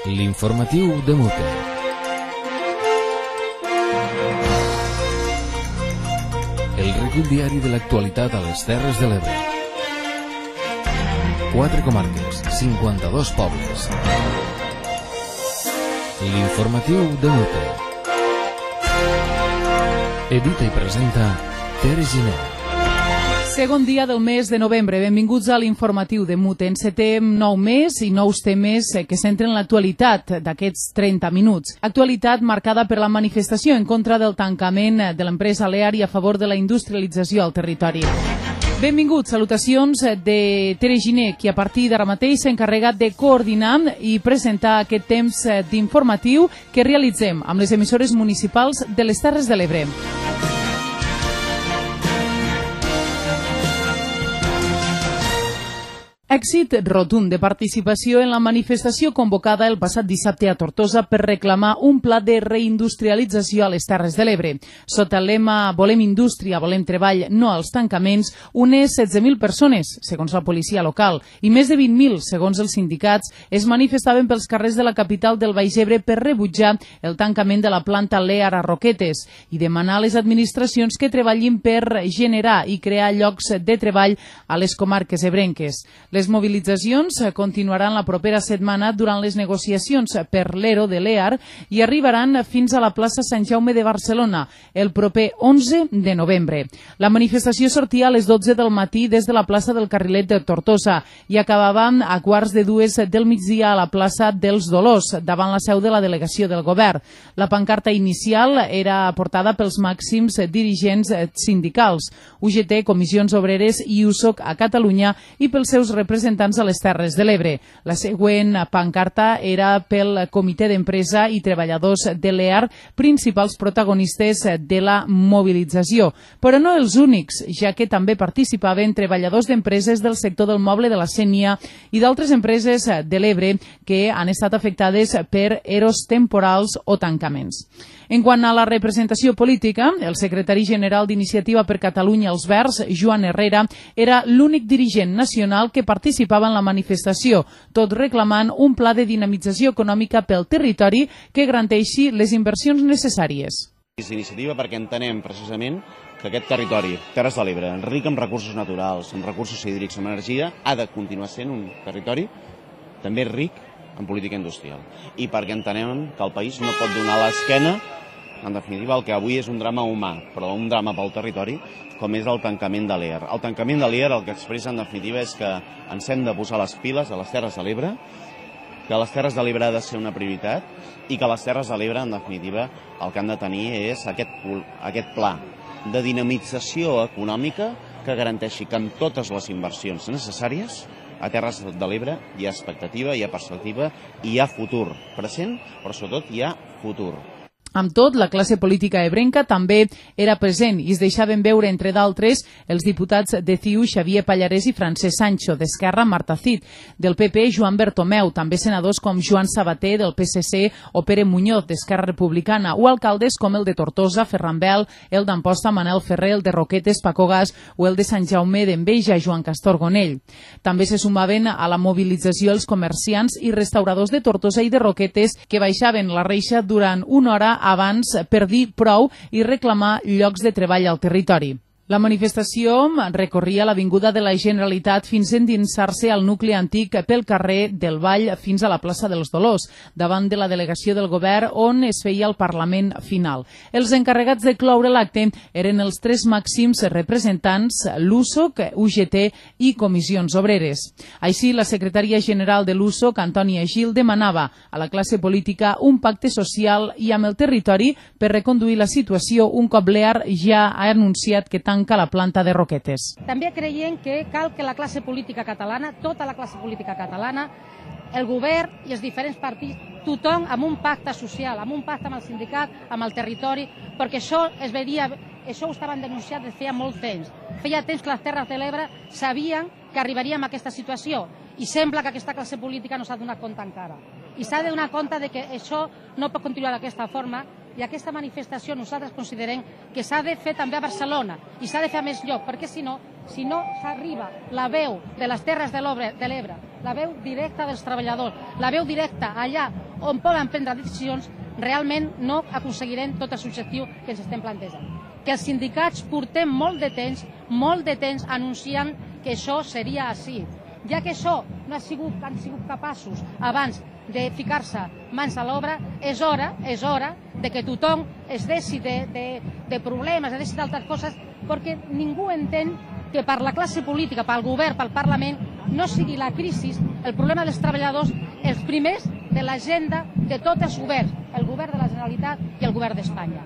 L'informatiu de Mute. El recull diari de l'actualitat a les Terres de l'Ebre. 4 comarques, 52 pobles. L'informatiu de Mute. Edita i presenta Tere Giner. Segon dia del mes de novembre. Benvinguts a l'informatiu de Mute. Encetem nou mes i nous temes que centren l'actualitat d'aquests 30 minuts. Actualitat marcada per la manifestació en contra del tancament de l'empresa Lear i a favor de la industrialització al territori. Benvinguts, salutacions de Tere Giner, qui a partir d'ara mateix s'ha encarregat de coordinar i presentar aquest temps d'informatiu que realitzem amb les emissores municipals de les Terres de l'Ebre. Èxit rotund de participació en la manifestació convocada el passat dissabte a Tortosa per reclamar un pla de reindustrialització a les Terres de l'Ebre. Sota el lema Volem indústria, volem treball, no als tancaments, unes 16.000 persones, segons la policia local, i més de 20.000, segons els sindicats, es manifestaven pels carrers de la capital del Baix Ebre per rebutjar el tancament de la planta Lear a Roquetes i demanar a les administracions que treballin per generar i crear llocs de treball a les comarques ebrenques. Les mobilitzacions continuaran la propera setmana durant les negociacions per l'ERO de Lear i arribaran fins a la plaça Sant Jaume de Barcelona el proper 11 de novembre. La manifestació sortia a les 12 del matí des de la plaça del Carrilet de Tortosa i acabava a 1:45 del migdia a la plaça dels Dolors, davant la seu de la delegació del govern. La pancarta inicial era portada pels màxims dirigents sindicals, UGT, Comissions Obreres i USOC a Catalunya i pels seus representants a les Terres de l'Ebre. La següent pancarta era pel Comitè d'Empresa i Treballadors de Lear, principals protagonistes de la mobilització. Però no els únics, ja que també participaven treballadors d'empreses del sector del moble de la Sénia i d'altres empreses de l'Ebre que han estat afectades per eros temporals o tancaments. En quant a la representació política, el secretari general d'Iniciativa per Catalunya Els Verds, Joan Herrera, era l'únic dirigent nacional que participava en la manifestació, tot reclamant un pla de dinamització econòmica pel territori que garanteixi les inversions necessàries. És iniciativa perquè entenem precisament que aquest territori, Terres de l'Ebre, ric en recursos naturals, en recursos hídrics, en energia, ha de continuar sent un territori també ric en política industrial. I perquè entenem que el país no pot donar l'esquena, en definitiva, el que avui és un drama humà, però un drama pel territori, com és el tancament de Lear. El tancament de Lear el que expressa, en definitiva, és que ens hem de posar les piles a les Terres de l'Ebre, que les Terres de l'Ebre ha de ser una prioritat i que les Terres de l'Ebre, en definitiva, el que han de tenir és aquest pla de dinamització econòmica que garanteixi que amb totes les inversions necessàries a Terres de l'Ebre hi ha expectativa, hi ha perspectiva i hi ha futur present, però sobretot hi ha futur. Amb tot, la classe política ebrenca també era present i es deixaven veure, entre d'altres, els diputats de CiU Xavier Pallarès i Francesc Sancho, d'Esquerra Marta Cid, del PP Joan Bertomeu, també senadors com Joan Sabater del PSC o Pere Muñoz d'Esquerra Republicana o alcaldes com el de Tortosa, Ferran Bel, el d'Amposta, Manel Ferrer, el de Roquetes, Paco Gas o el de Sant Jaume d'Enveja, Joan Castor Gonell. També se sumaven a la mobilització els comerciants i restauradors de Tortosa i de Roquetes que baixaven la reixa durant una hora abans per dir prou i reclamar llocs de treball al territori. La manifestació recorria l'Avinguda de la Generalitat fins a endinsar-se al nucli antic pel carrer del Vall fins a la plaça dels Dolors, davant de la delegació del govern on es feia el Parlament final. Els encarregats de cloure l'acte eren els 3 màxims representants, l'USOC, UGT i Comissions Obreres. Així, la secretària general de l'USOC, Antònia Gil, demanava a la classe política un pacte social i amb el territori per reconduir la situació un cop Lear ja ha anunciat que tanca la planta de Roquetes. També creiem que cal que la classe política catalana, tota la classe política catalana, el govern i els diferents partits, tothom amb un pacte social, amb un pacte amb el sindicat, amb el territori, perquè això ho estaven denunciant des de feia molt temps. Feia temps que les Terres de l'Ebre sabien que arribaríem a aquesta situació i sembla que aquesta classe política no s'ha donat compte encara. I s'ha de donar compte que això no pot continuar d'aquesta forma i aquesta manifestació nosaltres considerem que s'ha de fer també a Barcelona i s'ha de fer a més lloc, perquè si no s'arriba la veu de les Terres de l'Ebre, la veu directa dels treballadors, la veu directa allà on poden prendre decisions, realment no aconseguirem tot el objectiu que ens estem plantejant. Que els sindicats portem molt de temps anunciant que això seria així. Ja que això no han sigut capaços abans de ficar-se mans a l'obra, és hora de que tothom es deixi de problemes, es deixi d'altres coses, perquè ningú entén que per la classe política, pel govern, pel Parlament, no sigui la crisi, el problema dels treballadors, els primers de l'agenda de tots els governs, el govern de la Generalitat i el govern d'Espanya.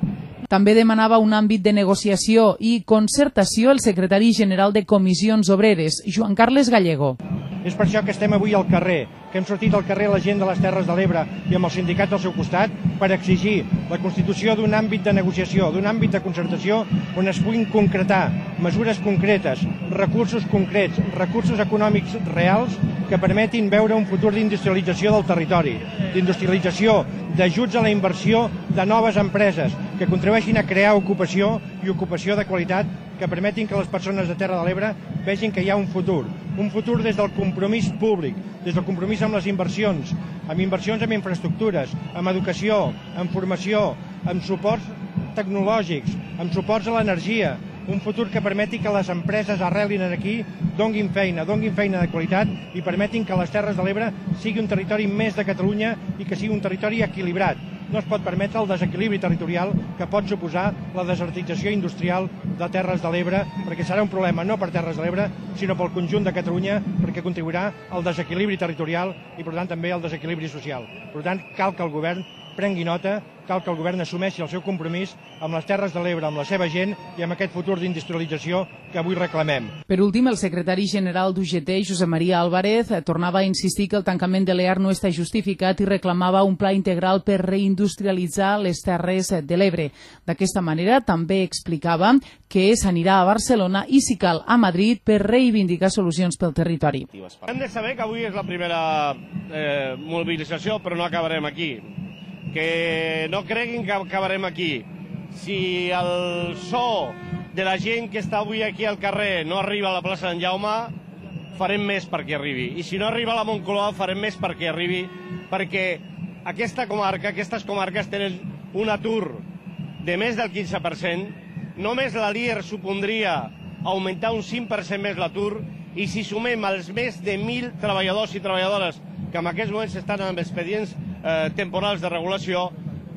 També demanava un àmbit de negociació i concertació el secretari general de Comissions Obreres, Joan Carles Gallego. És per això que estem avui al carrer, que hem sortit al carrer la gent de les Terres de l'Ebre i amb els sindicats al seu costat per exigir la constitució d'un àmbit de negociació, d'un àmbit de concertació on es puguin concretar mesures concretes, recursos concrets, recursos econòmics reals que permetin veure un futur d'industrialització del territori, d'industrialització, d'ajuts a la inversió de noves empreses que contribueixin a crear ocupació i ocupació de qualitat que permetin que les persones de Terra de l'Ebre vegin que hi ha un futur des del compromís públic, des del compromís amb les inversions en infraestructures, amb educació, amb formació, amb suports tecnològics, amb suports a l'energia, un futur que permeti que les empreses arrelin aquí, donguin feina de qualitat i permetin que les Terres de l'Ebre sigui un territori més de Catalunya i que sigui un territori equilibrat. No es pot permetre el desequilibri territorial que pot suposar la desertització industrial de Terres de l'Ebre, perquè serà un problema no per Terres de l'Ebre, sinó pel conjunt de Catalunya, perquè contribuirà al desequilibri territorial i, per tant, també al desequilibri social. Per tant, cal que el govern prengui nota, cal que el govern assumeixi el seu compromís amb les Terres de l'Ebre, amb la seva gent i amb aquest futur d'industrialització que avui reclamem. Per últim, el secretari general d'UGT, Josep Maria Álvarez, tornava a insistir que el tancament de l'EAR no està justificat i reclamava un pla integral per reindustrialitzar les Terres de l'Ebre. D'aquesta manera, també explicava que s'anirà a Barcelona i, si cal, a Madrid per reivindicar solucions pel territori. Hem de saber que avui és la primera mobilització, però no acabarem aquí. Que no creguin que acabarem aquí. Si el so de la gent que està avui aquí al carrer no arriba a la plaça d'en Jaume, farem més perquè arribi. I si no arriba a la Moncloa, farem més perquè arribi, perquè aquestes comarques tenen un atur de més del 15%. Només la LIER supondria augmentar un 5% més l'atur, i si sumem els més de 1.000 treballadors i treballadores que en aquests moments estan amb expedients temporals de regulació,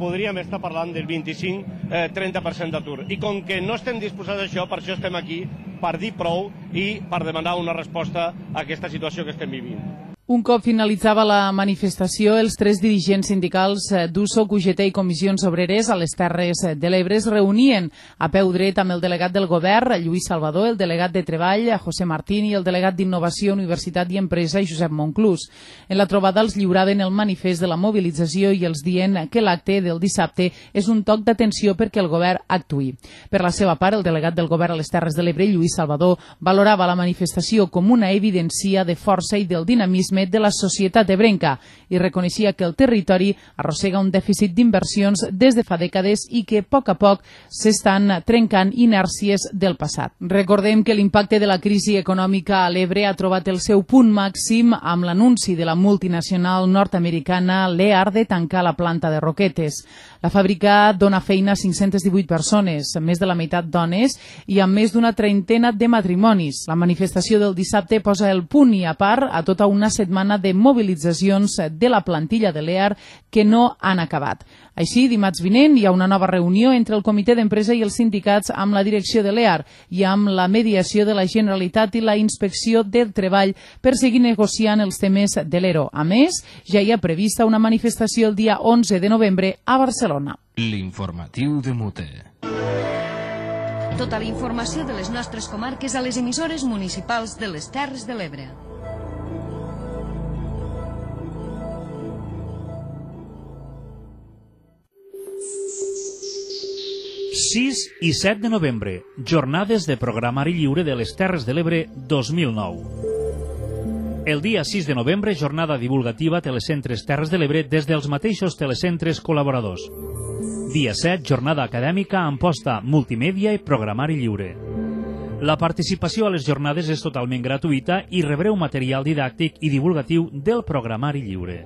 podríem estar parlant del 25-30% d'atur. I com que no estem disposats a això, per això estem aquí, per dir prou i per demanar una resposta a aquesta situació que estem vivint. Un cop finalitzava la manifestació, els tres dirigents sindicals d'USOC, UGT i Comissions Obreres a les Terres de l'Ebre es reunien a peu dret amb el delegat del govern, Lluís Salvador, el delegat de Treball, José Martín, i el delegat d'Innovació, Universitat i Empresa, Josep Monclús. En la trobada els lliuraven el manifest de la mobilització i els dient que l'acte del dissabte és un toc d'atenció perquè el govern actuï. Per la seva part, el delegat del govern a les Terres de l'Ebre, Lluís Salvador, valorava la manifestació com una evidència de força i del dinamisme de la societat ebrenca i reconeixia que el territori arrossega un dèficit d'inversions des de fa dècades i que a poc s'estan trencant inèrcies del passat. Recordem que l'impacte de la crisi econòmica a l'Ebre ha trobat el seu punt màxim amb l'anunci de la multinacional nord-americana LEAR de tancar la planta de Roquetes. La fàbrica dona feina a 518 persones, més de la meitat dones i amb més d'una trentena de matrimonis. La manifestació del dissabte posa el punt i a part a tota una setmana de mobilitzacions de la plantilla de l'EAR que no han acabat. Així, dimarts vinent hi ha una nova reunió entre el comitè d'empresa i els sindicats amb la direcció de l'EAR i amb la mediació de la Generalitat i la Inspecció del Treball per seguir negociant els temes de l'ERO. A més, ja hi ha prevista una manifestació el dia 11 de novembre a Barcelona. L'informatiu de Mute. Tota la informació de les nostres comarques a les emissores municipals de les Terres de l'Ebre. ...6 i 7 de novembre, jornades de programari lliure de les Terres de l'Ebre 2009. El dia 6 de novembre, jornada divulgativa Telecentres Terres de l'Ebre des dels mateixos telecentres col·laboradors. Dia 7, jornada acadèmica amb posta multimèdia i programari lliure. La participació a les jornades és totalment gratuïta i rebreu material didàctic i divulgatiu del programari lliure.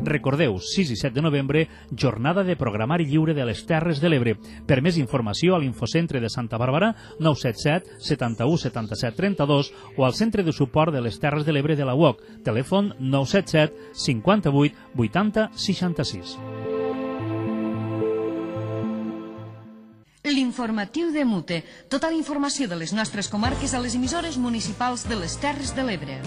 Recordeu, 6 i 7 de novembre, jornada de programari lliure de les Terres de l'Ebre. Per més informació a l'Infocentre de Santa Bàrbara, 977 71 77 32 o al Centre de Suport de les Terres de l'Ebre de la UOC, telèfon 977 58 80 66. L'informatiu de Mute. Tota la informació de les nostres comarques a les emissores municipals de les Terres de l'Ebre.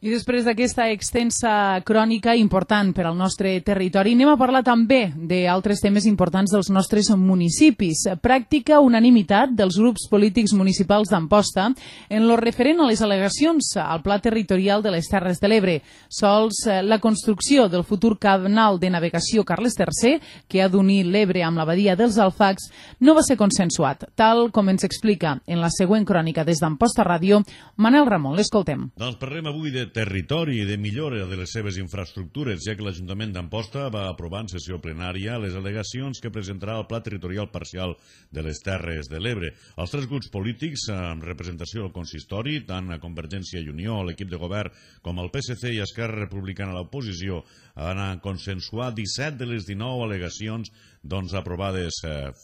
I després d'aquesta extensa crònica important per al nostre territori, anem a parlar també d'altres temes importants dels nostres municipis. Pràctica unanimitat dels grups polítics municipals d'Amposta en lo referent a les al·legacions al Pla Territorial de les Terres de l'Ebre. Sols la construcció del futur canal de navegació Carles III, que ha d'unir l'Ebre amb la badia dels Alfacs, no va ser consensuat, tal com ens explica en la següent crònica des d'Amposta Ràdio, Manel Ramon. L'escoltem. Doncs parlem avui de territori i de millora de les seves infraestructures, ja que l'Ajuntament d'Amposta va aprovar en sessió plenària les al·legacions que presentarà el Pla Territorial Parcial de les Terres de l'Ebre. Els tres grups polítics amb representació al consistori, tant a Convergència i Unió, l'equip de govern, com el PSC i Esquerra Republicana a l'oposició, han consensuat 17 de les 19 al·legacions aprovades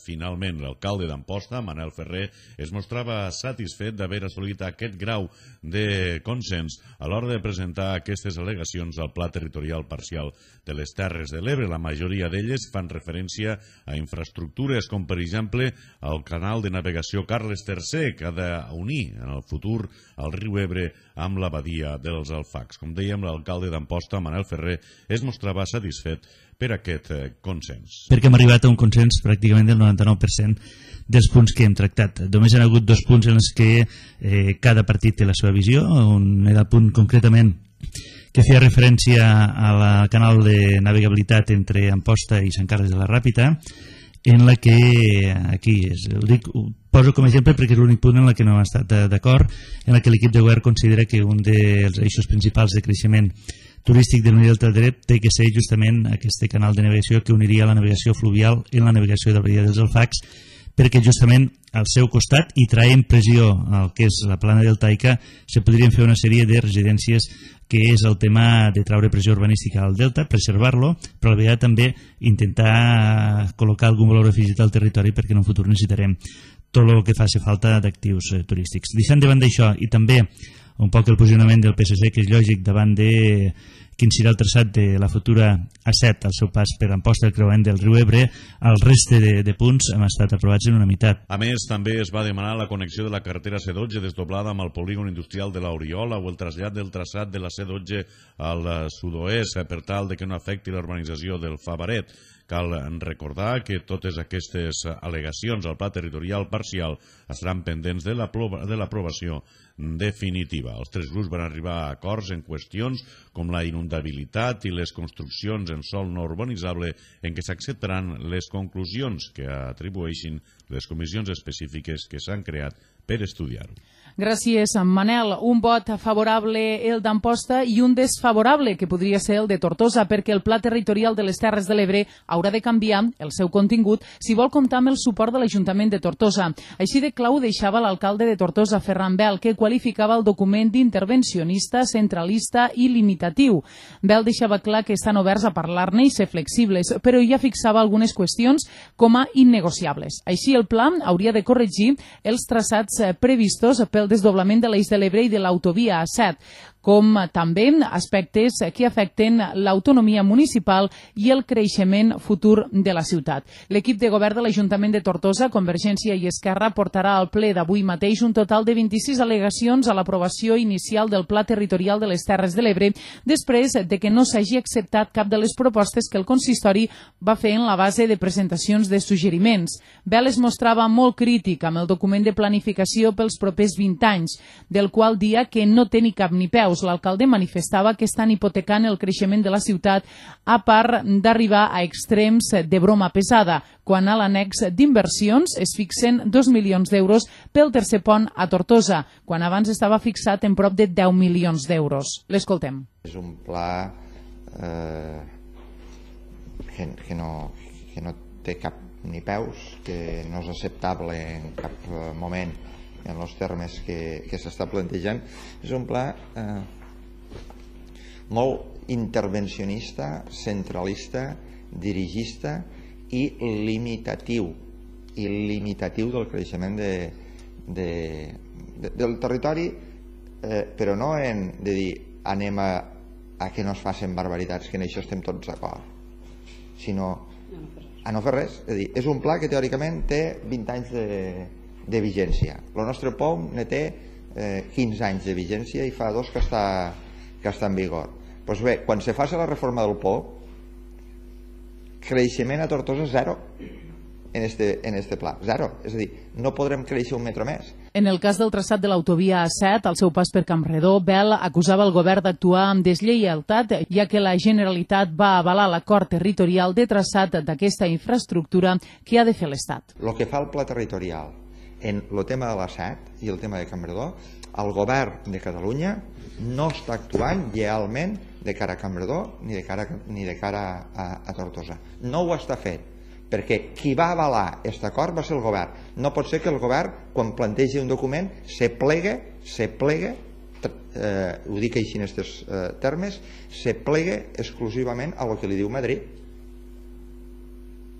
finalment. L'alcalde d'Amposta, Manel Ferrer, es mostrava satisfet d'haver assolit aquest grau de consens a l'hora de presentar aquestes al·legacions al Pla Territorial Parcial de les Terres de l'Ebre. La majoria d'elles fan referència a infraestructures com, per exemple, el canal de navegació Carles III, que ha d'unir en el futur el riu Ebre amb la badia dels Alfacs. Com dèiem, l'alcalde d'Amposta, Manel Ferrer, es mostrava satisfet per aquest consens. Perquè hem arribat a un consens pràcticament del 99% dels punts que hem tractat. Només hi ha hagut 2 punts en els que cada partit té la seva visió. Un era el punt concretament que feia referència al canal de navegabilitat entre Amposta i Sant Carles de la Ràpita, en la que, aquí ho poso com a exemple perquè és l'únic punt en el que no hem estat d'acord, en la que l'equip de govern considera que un dels eixos principals de creixement turístic del Delta de l'Ebre té que ser justament aquest canal de navegació que uniria la navegació fluvial en la navegació de la badia dels Alfacs, perquè justament al seu costat i traient pressió al que és la plana deltaica se podrien fer una sèrie de residències, que és el tema de traure pressió urbanística al delta, preservar-lo, però a la vegada també intentar col·locar algun valor afegit al territori, perquè en un futur necessitarem tot el que faci falta d'actius turístics. Deixant de banda això i també un poc el posicionament del PSC, que és lògic davant de quin serà el traçat de la futura A7 al seu pas per Amposta, el creuament del riu Ebre, el reste de punts han estat aprovats en unanimitat. A més, també es va demanar la connexió de la carretera C12 desdoblada amb el polígon industrial de l'Oriola o el trasllat del traçat de la C12 al sud-oest per tal de que no afecti la urbanització del Favaret. Cal recordar que totes aquestes al·legacions al Pla Territorial Parcial estaran pendents de l'aprovació definitiva. Els tres grups van arribar a acords en qüestions com la inundabilitat i les construccions en sòl no urbanitzable, en què s'acceptaran les conclusions que atribueixin les comissions específiques que s'han creat per estudiar-ho. Gràcies, Manel. Un vot favorable el d'Amposta i un desfavorable, que podria ser el de Tortosa, perquè el Pla Territorial de les Terres de l'Ebre haurà de canviar el seu contingut si vol comptar amb el suport de l'Ajuntament de Tortosa. Així de clau deixava l'alcalde de Tortosa, Ferran Bel, que qualificava el document d'intervencionista, centralista i limitatiu. Bel deixava clar que estan oberts a parlar-ne i ser flexibles, però ja fixava algunes qüestions com a innegociables. Així, el pla hauria de corregir els traçats previstos pel desdoblament de l'Eix de l'Ebre i de l'autovia A7, com també aspectes que afecten l'autonomia municipal i el creixement futur de la ciutat. L'equip de govern de l'Ajuntament de Tortosa, Convergència i Esquerra, portarà al ple d'avui mateix un total de 26 al·legacions a l'aprovació inicial del Pla Territorial de les Terres de l'Ebre, després de que no s'hagi acceptat cap de les propostes que el consistori va fer en la base de presentacions de suggeriments. Bel es mostrava molt crític amb el document de planificació pels propers 20 anys, del qual dia que no té ni cap ni peus. L'alcalde manifestava que estan hipotecant el creixement de la ciutat, a part d'arribar a extrems de broma pesada, quan a l'annex d'inversions es fixen 2 milions d'euros pel tercer pont a Tortosa, quan abans estava fixat en prop de 10 milions d'euros. L'escoltem. És un pla que no té cap ni peus, que no és acceptable en cap moment en els termes que s'està plantejant. És un pla molt intervencionista, centralista, dirigista i limitatiu del creixement del territori, però no de dir anem a que no es facin barbaritats, que en això estem tots d'acord, sinó a no fer res. És a dir, és un pla que teòricament té 20 anys de vigència. El nostre POM ne té 15 anys de vigència i fa 2 que està en vigor. Doncs bé, quan se faci la reforma del POM, creixement a Tortosa zero en este pla, zero. És a dir, no podrem créixer un metre més. En el cas del traçat de l'autovia A7, al seu pas per Campredó, Bel acusava el govern d'actuar amb deslleialtat, ja que la Generalitat va avalar l'acord territorial de traçat d'aquesta infraestructura que ha de fer l'Estat. El que fa el pla territorial en el tema de l'A7 i el tema de Campredó, el govern de Catalunya no està actuant lleialment de cara a Campredó ni de cara a Tortosa. No ho està fent, perquè qui va avalar aquest acord va ser el govern. No pot ser que el govern, quan plantegi un document, se plegue, ho dic així en aquests termes, se plegue exclusivament a lo que li diu Madrid.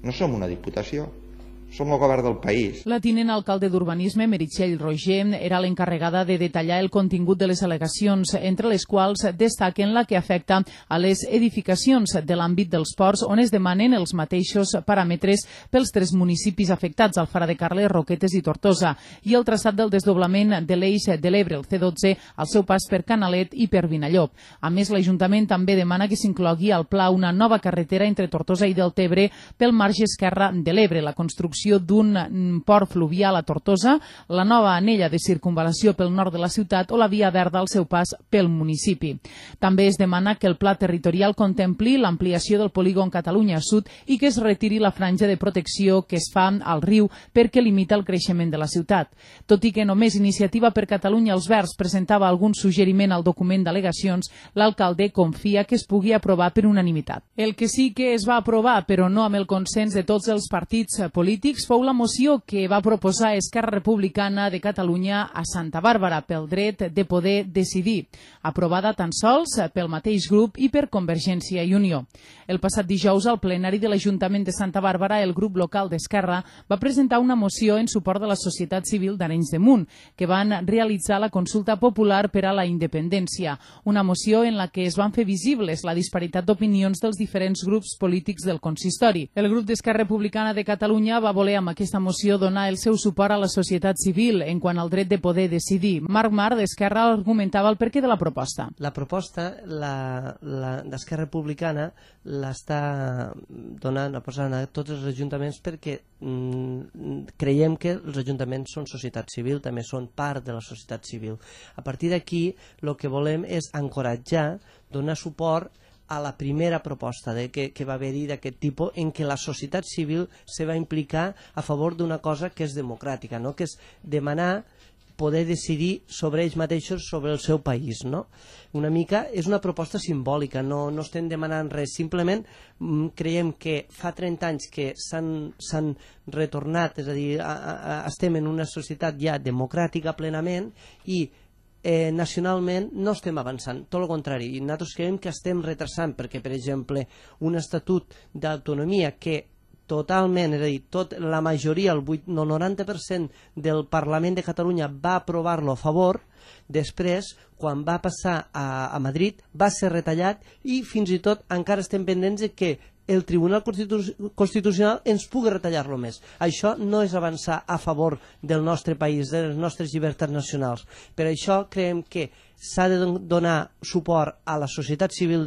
No som una diputació, som el govern del país. La tinent alcalde d'Urbanisme, Meritxell Roger, era l'encarregada de detallar el contingut de les al·legacions, entre les quals destaquen la que afecta a les edificacions de l'àmbit dels ports, on es demanen els mateixos paràmetres pels 3 municipis afectats, Alfara de Carles, Roquetes i Tortosa, i el traçat del desdoblament de l'eix de l'Ebre, el C12, al seu pas per Canalet i per Vinallop. A més, l'Ajuntament també demana que s'inclogui al pla una nova carretera entre Tortosa i Deltebre pel marge esquerre de l'Ebre, la construcció d'un port fluvial a Tortosa, la nova anella de circunvalació pel nord de la ciutat o la via verda al seu pas pel municipi. També es demana que el pla territorial contempli l'ampliació del polígon Catalunya Sud i que es retiri la franja de protecció que es fa al riu perquè limita el creixement de la ciutat. Tot i que només Iniciativa per Catalunya els Verds presentava algun suggeriment al document d'al·legacions, l'alcalde confia que es pugui aprovar per unanimitat. El que sí que es va aprovar, però no amb el consens de tots els partits polítics, fou la moció que va proposar Esquerra Republicana de Catalunya a Santa Bàrbara pel dret de poder decidir, aprovada tan sols pel mateix grup i per Convergència i Unió. El passat dijous, al plenari de l'Ajuntament de Santa Bàrbara, el grup local d'Esquerra va presentar una moció en suport de la societat civil d'Arenys de Munt, que van realitzar la consulta popular per a la independència, una moció en la que es van fer visibles la disparitat d'opinions dels diferents grups polítics del consistori. El grup d'Esquerra Republicana de Catalunya va voler amb aquesta moció donar el seu suport a la societat civil en quant al dret de poder decidir. Marc Mar, d'Esquerra, argumentava el perquè de la proposta. La proposta d'Esquerra Republicana l'està donant, posant a tots els ajuntaments perquè creiem que els ajuntaments són societat civil, també són part de la societat civil. A partir d'aquí, el que volem és encoratjar, donar suport a la primera proposta que va haver-hi d'aquest tipus, en què la societat civil se va implicar a favor d'una cosa que és democràtica, no? Que és demanar poder decidir sobre ells mateixos, sobre el seu país. No? Una mica és una proposta simbòlica, no estem demanant res, simplement creiem que fa 30 anys que s'han retornat, és a dir, estem en una societat ja democràtica plenament i nacionalment no estem avançant, tot el contrari, i nosaltres creiem que estem retrasant perquè, per exemple, un estatut d'autonomia que totalment, és a dir, la majoria, el 90% del Parlament de Catalunya va aprovar-lo a favor, després, quan va passar a Madrid, va ser retallat i fins i tot encara estem pendents de que el Tribunal Constitucional ens pugui retallar-lo més. Això no és avançar a favor del nostre país, de les nostres llibertats nacionals. Per això creiem que s'ha de donar suport a la societat civil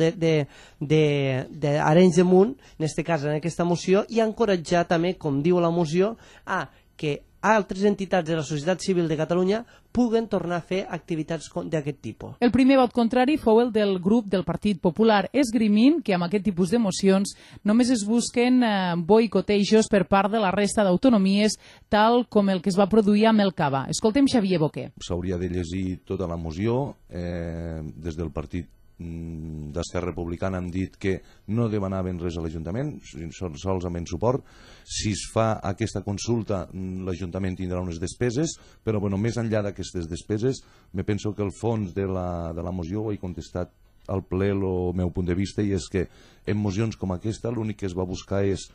d'Arenys de Munt, en aquest cas en aquesta moció, i encoratjar també, com diu la moció, a que altres entitats de la societat civil de Catalunya puguen tornar a fer activitats d'aquest tipus. El primer vot contrari fou el del grup del Partit Popular, esgrimint que amb aquest tipus de mocions només es busquen boicotejos per part de la resta d'autonomies, tal com el que es va produir amb el Cava. Escoltem Xavier Boquer. S'hauria de llegir tota la moció. Des del Partit d'Esquerra Republicana han dit que no demanaven res a l'Ajuntament, són solament suport. Si es fa aquesta consulta, l'Ajuntament tindrà unes despeses, però més enllà d'aquestes despeses, me penso que el fons de la moció ho he contestat al ple el meu punt de vista, i és que en mocions com aquesta l'únic que es va buscar és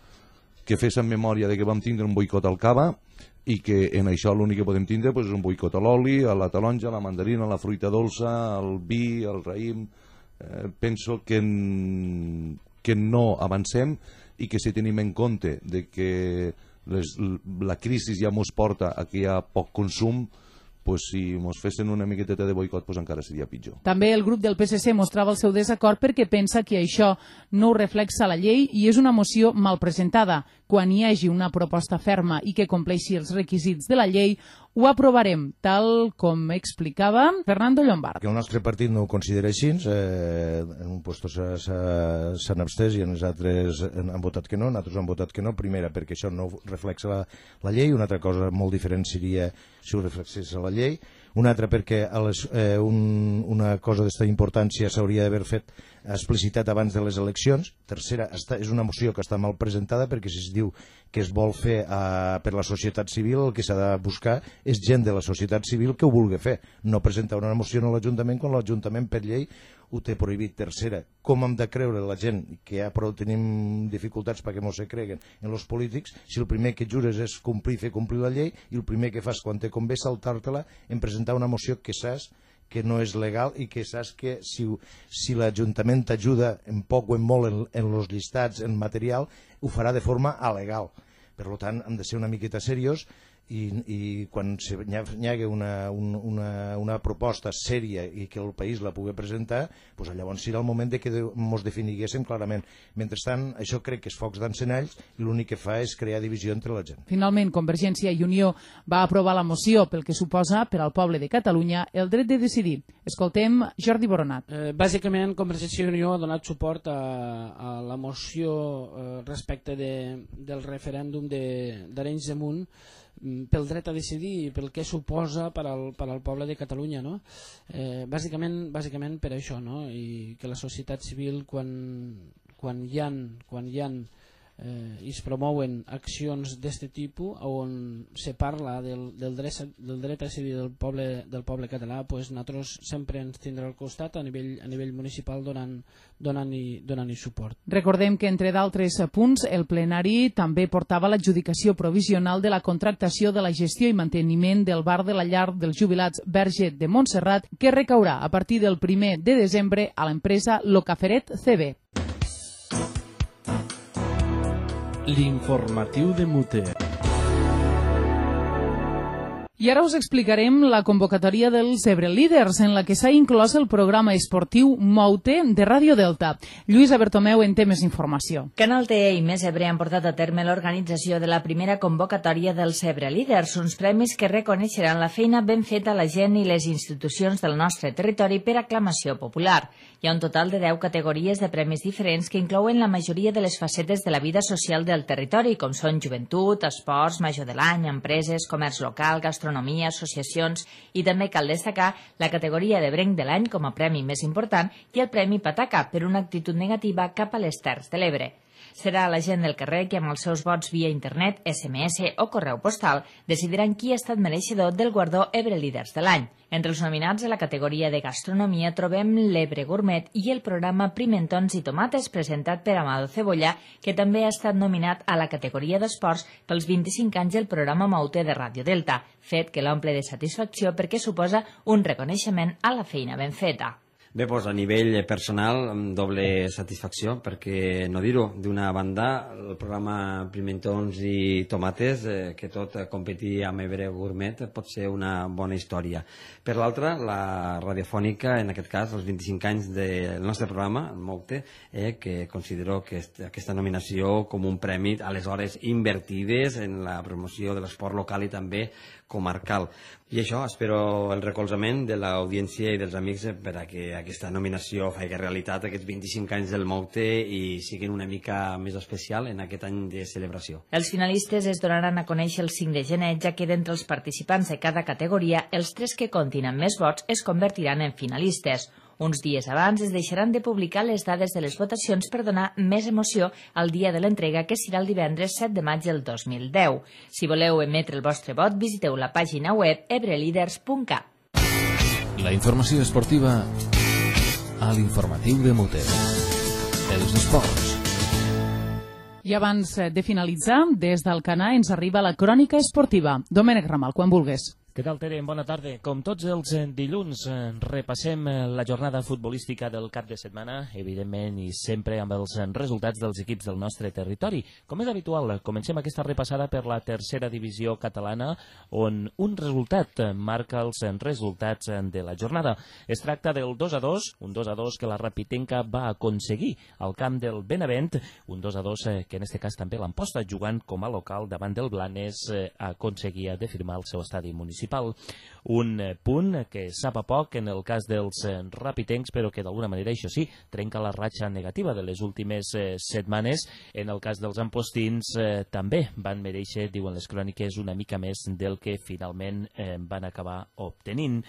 que féssim memòria de que vam tindre un boicot al cava i que en això l'únic que podem tindre és un boicot a l'oli, a la taronja, a la mandarina, a la fruita dolça, al vi, al raïm. Penso que no avancem i que si tenim en compte de que la crisi ja ens porta a que hi ha poc consum, si ens fessin una miqueteta de boicot encara seria pitjor. També el grup del PSC mostrava el seu desacord perquè pensa que això no ho reflexa la llei i és una moció mal presentada. Quan hi hagi una proposta ferma i que compleixi els requisits de la llei, ho aprovarem, tal com explicava Fernando Llombard. El nostre partit no ho considera així, en un lloc s'han abstès i els altres han votat que no, nosaltres han votat que no, primera perquè això no reflexa la llei, una altra cosa molt diferent seria si ho reflexés a la llei, una altra perquè una cosa d'esta importància s'hauria d'haver fet explicitat abans de les eleccions, tercera, és una moció que està mal presentada perquè si es diu que es vol fer per la societat civil, el que s'ha de buscar és gent de la societat civil que ho vulgui fer, no presentar una moció a l'Ajuntament quan l'Ajuntament per llei ho té prohibit. Tercera, com hem de creure la gent que ja prou tenim dificultats perquè no se creguen en els polítics si el primer que jures és fer complir la llei i el primer que fas quan te convé saltar-te-la en presentar una moció que saps que no és legal i que saps que si l'Ajuntament t'ajuda en poc o en molt en els llistats, en material, ho farà de forma alegal. Per tant, hem de ser una miqueta seriós i quan hi hagi una proposta sèria i que el país la pugui presentar, llavors serà el moment que ens definiguéssim clarament. Mentrestant, això crec que és focs d'encenalls i l'únic que fa és crear divisió entre la gent. Finalment, Convergència i Unió va aprovar la moció pel que suposa per al poble de Catalunya el dret de decidir. Escoltem Jordi Boronat. Bàsicament, Convergència i Unió ha donat suport a la moció respecte del referèndum d'Arenys de Munt pel dret a decidir i pel que suposa per al poble de Catalunya, no? Bàsicament per això, no? I que la societat civil quan hi ha i es promouen accions d'aquest tipus on se parla del dret a decidir del poble català, nosaltres sempre ens tindrà al costat a nivell municipal donant-hi suport. Recordem que entre d'altres punts el plenari també portava l'adjudicació provisional de la contractació de la gestió i manteniment del bar de la llar dels jubilats Verge de Montserrat, que recaurà a partir del 1 de desembre a l'empresa Locaferet CB. L'informatiu de Muter. I ara us explicarem la convocatòria dels Ebre Líders, en la que s'ha inclòs el programa esportiu Mou-te de Ràdio Delta. Lluïsa Bertomeu en té més informació. Canal TE i Més Ebre han portat a terme l'organització de la primera convocatòria dels Ebre Líders, uns premis que reconeixeran la feina ben feta a la gent i les institucions del nostre territori per aclamació popular. Hi ha un total de 10 categories de premis diferents que inclouen la majoria de les facetes de la vida social del territori, com són joventut, esports, major de l'any, empreses, comerç local, gastronomia, associacions, i també cal destacar la categoria de Brenc de l'any com a premi més important i el premi Pataca per una actitud negativa cap a les Terres de l'Ebre. Serà la gent del carrer que amb els seus vots via internet, SMS o correu postal decidiran qui ha estat mereixedor del guardó Ebre Líders de l'any. Entre els nominats a la categoria de gastronomia trobem l'Ebre Gourmet i el programa Pimentons i Tomates presentat per Amado Cebolla, que també ha estat nominat a la categoria d'esports pels 25 anys del programa Mou-te de Ràdio Delta, fet que l'omple de satisfacció perquè suposa un reconeixement a la feina ben feta. Bé, doncs a nivell personal, amb doble satisfacció, perquè no dir-ho, d'una banda, el programa Pimentons i Tomates, que tot competir amb Ebre Gourmet pot ser una bona història. Per l'altra, la radiofònica, en aquest cas, els 25 anys del nostre programa, el Mou-te, que considero que aquesta nominació com un premi, aleshores invertides en la promoció de l'esport local i també comarcal. I això, espero el recolzament de l'audiència i dels amics per a que aquesta nominació faci realitat aquests 25 anys del Mou-te i siguin una mica més especial en aquest any de celebració. Els finalistes es donaran a conèixer el 5 de gener, ja que d'entre els participants de cada categoria, els 3 que comptin amb més vots es convertiran en finalistes. Uns dies abans es deixaran de publicar les dades de les votacions per donar més emoció al dia de l'entrega, que serà el divendres 7 de maig del 2010. Si voleu emetre el vostre vot, visiteu la pàgina web ebreliders.cat. La informació esportiva a l'informatiu de Mute. Els esports. I abans de finalitzar, des d'Alcanar ens arriba la crònica esportiva. Domènec Ramal, quan vulgues. Què tal, Tere? Bona tarda. Com tots els dilluns, repassem la jornada futbolística del cap de setmana, evidentment i sempre amb els resultats dels equips del nostre territori. Com és habitual, comencem aquesta repassada per la tercera divisió catalana, on un resultat marca els resultats de la jornada. Es tracta del 2-2, un 2-2 que la Rapitenca va aconseguir al camp del Benavent, un 2-2 que en aquest cas també l'Amposta, jugant com a local davant del Blanes, aconseguia de firmar el seu estadi municipal. Un punt que sap a poc en el cas dels rapitencs, però que d'alguna manera, això sí, trenca la ratxa negativa de les últimes setmanes. En el cas dels ampostins també van mereixer, diuen les cròniques, una mica més del que finalment van acabar obtenint.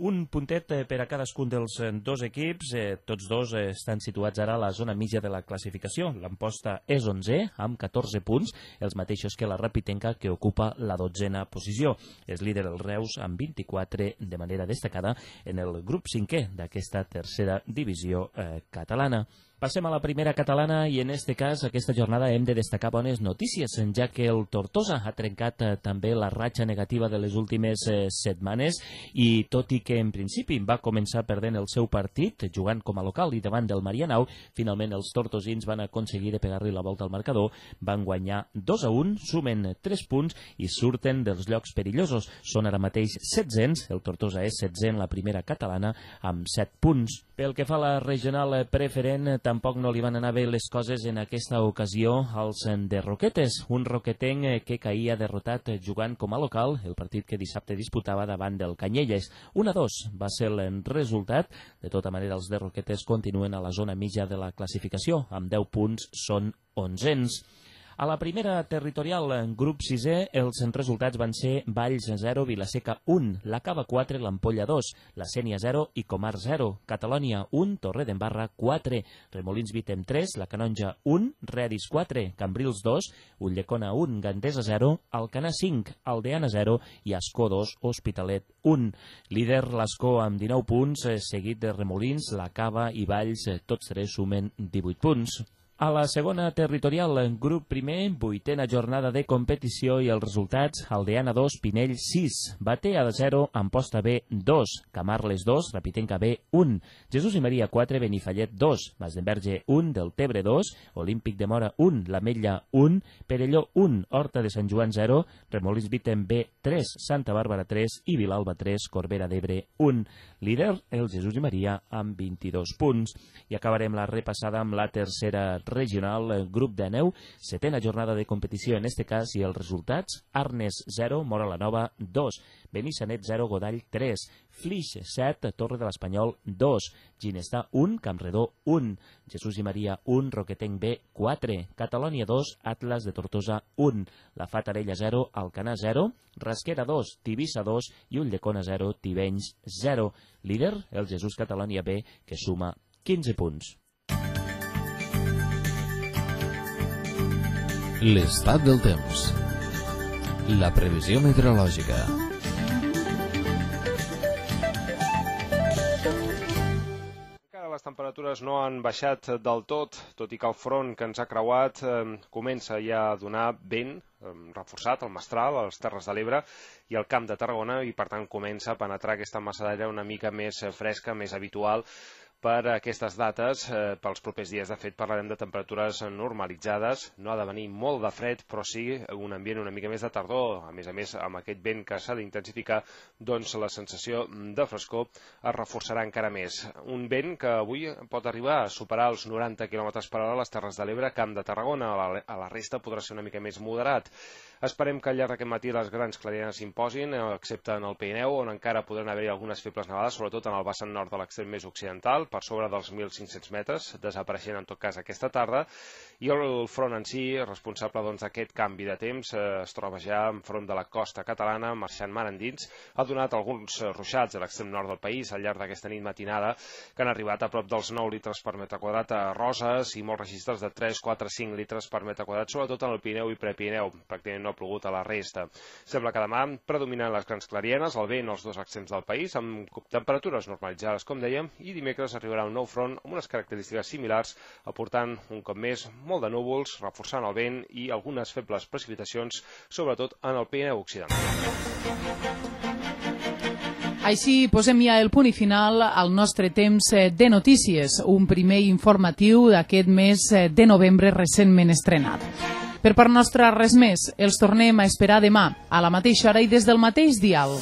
Un puntet per a cadascun dels dos equips, tots dos estan situats ara a la zona mitja de la classificació. L'Amposta és 11è, amb 14 punts, els mateixos que la Rapitenca, que ocupa la 12a posició. És líder el Reus amb 24 de manera destacada en el grup 5è d'aquesta tercera divisió catalana. Passem a la primera catalana i en este cas, aquesta jornada hem de destacar bones notícies, ja que el Tortosa ha trencat també la ratxa negativa de les últimes setmanes i tot i que en principi va començar perdent el seu partit, jugant com a local i davant del Marianao, finalment els tortosins van aconseguir de pegar-li la volta al marcador, van guanyar 2-1, sumen 3 punts i surten dels llocs perillosos. Són ara mateix 700, el Tortosa és 7è en la primera catalana amb 7 punts. Pel que fa a la regional preferent, tampoc no li van anar bé les coses en aquesta ocasió als de Roquetes. Un roquetenc que caïa derrotat jugant com a local, el partit que dissabte disputava davant del Canyelles. 1-2 va ser el resultat. De tota manera, els de Roquetes continuen a la zona mitja de la classificació. Amb 10 punts són 11ens. A la primera territorial, grup 6è, els resultats van ser Valls 0, Vilaseca 1, la Cava 4, l'Ampolla 2, la Sénia 0 i Comar 0, Catalònia 1, Torredembarra 4, Remolins Vitem 3, la Canonja 1, Redis 4, Cambrils 2, Ulldecona 1, Gandesa 0, Alcanar 5, Aldeana 0 i Ascó 2, Hospitalet 1. Líder l'Ascó amb 19 punts, seguit de Remolins, la Cava i Valls, tots tres sumen 18 punts. A la segona territorial, grup primer, 8a jornada de competició i els resultats: Aldeana 2, Pinell 6, Batea 0, Amposta B 2, Camarles 2, Rapitenca B 1, Jesús i Maria 4, Benifallet 2, Masdenverge 1, Deltebre 2, Olímpic de Mora 1, l'Ametlla 1, Perelló 1, Horta de Sant Joan 0, Remolins Vitem B 3, Santa Bàrbara 3 i Vilalba 3, Corbera d'Ebre 1. Líder, el Jesús i Maria, amb 22 punts. I acabarem la repassada amb la tercera regional, grup de neu, 7a jornada de competició en este cas i els resultats: Arnes 0, Mora la Nova 2, Benissanet 0, Godall 3, Flix 7, Torre de l'Espanyol 2, Ginestà 1, Campredó 1, Jesús i Maria 1, Roquetenc B 4, Catalònia 2, Atlas de Tortosa 1, la Fatarella 0, Alcanar 0, Rasquera 2, Tivissa 2 i Ulldecona 0, Tivenys 0. Líder, el Jesús Catalònia B, que suma 15 punts. L'estat del temps. La previsió meteorològica. Encara les temperatures no han baixat del tot i que el front que ens ha creuat comença ja a donar vent reforçat, el mestral, a les Terres de l'Ebre i al Camp de Tarragona, i per tant comença a penetrar aquesta massa d'aire una mica més fresca, més habitual per aquestes dates. Pels propers dies, de fet, parlarem de temperatures normalitzades. No ha de venir molt de fred, però sí un ambient una mica més de tardor. A més, amb aquest vent que s'ha d'intensificar, doncs la sensació de frescor es reforçarà encara més. Un vent que avui pot arribar a superar els 90 km/h a les Terres de l'Ebre, Camp de Tarragona. A la resta podrà ser una mica més moderat. Esperem que al llarg d'aquest matí les grans clarianes s'imposin, excepte en el Pirineu, on encara podran haver-hi algunes febles nevades, sobretot en el vessant nord de l'extrem més occidental, per sobre dels 1.500 metres, desapareixent en tot cas aquesta tarda, i el front en si, responsable d'aquest canvi de temps, es troba ja enfront de la costa catalana, marxant mar endins, ha donat alguns ruixats a l'extrem nord del país al llarg d'aquesta nit matinada, que han arribat a prop dels 9 litres per metre quadrat a Roses i molts registres de 3, 4, 5 litres per metre quadrat, sobretot en el Pirineu i Prepirineu. Pràcticament no no ha plogut a la resta. Sembla que demà predominen les grans clarienes, el vent als dos extrems del país, amb temperatures normalitzades, com dèiem, i dimecres arribarà un nou front amb unes característiques similars, aportant un cop més molt de núvols, reforçant el vent i algunes febles precipitacions, sobretot en el Pirineu occidental. Així posem ja el punt i final al nostre temps de notícies, un primer informatiu d'aquest mes de novembre recentment estrenat. Per part nostra res més, els tornem a esperar demà, a la mateixa hora i des del mateix dial.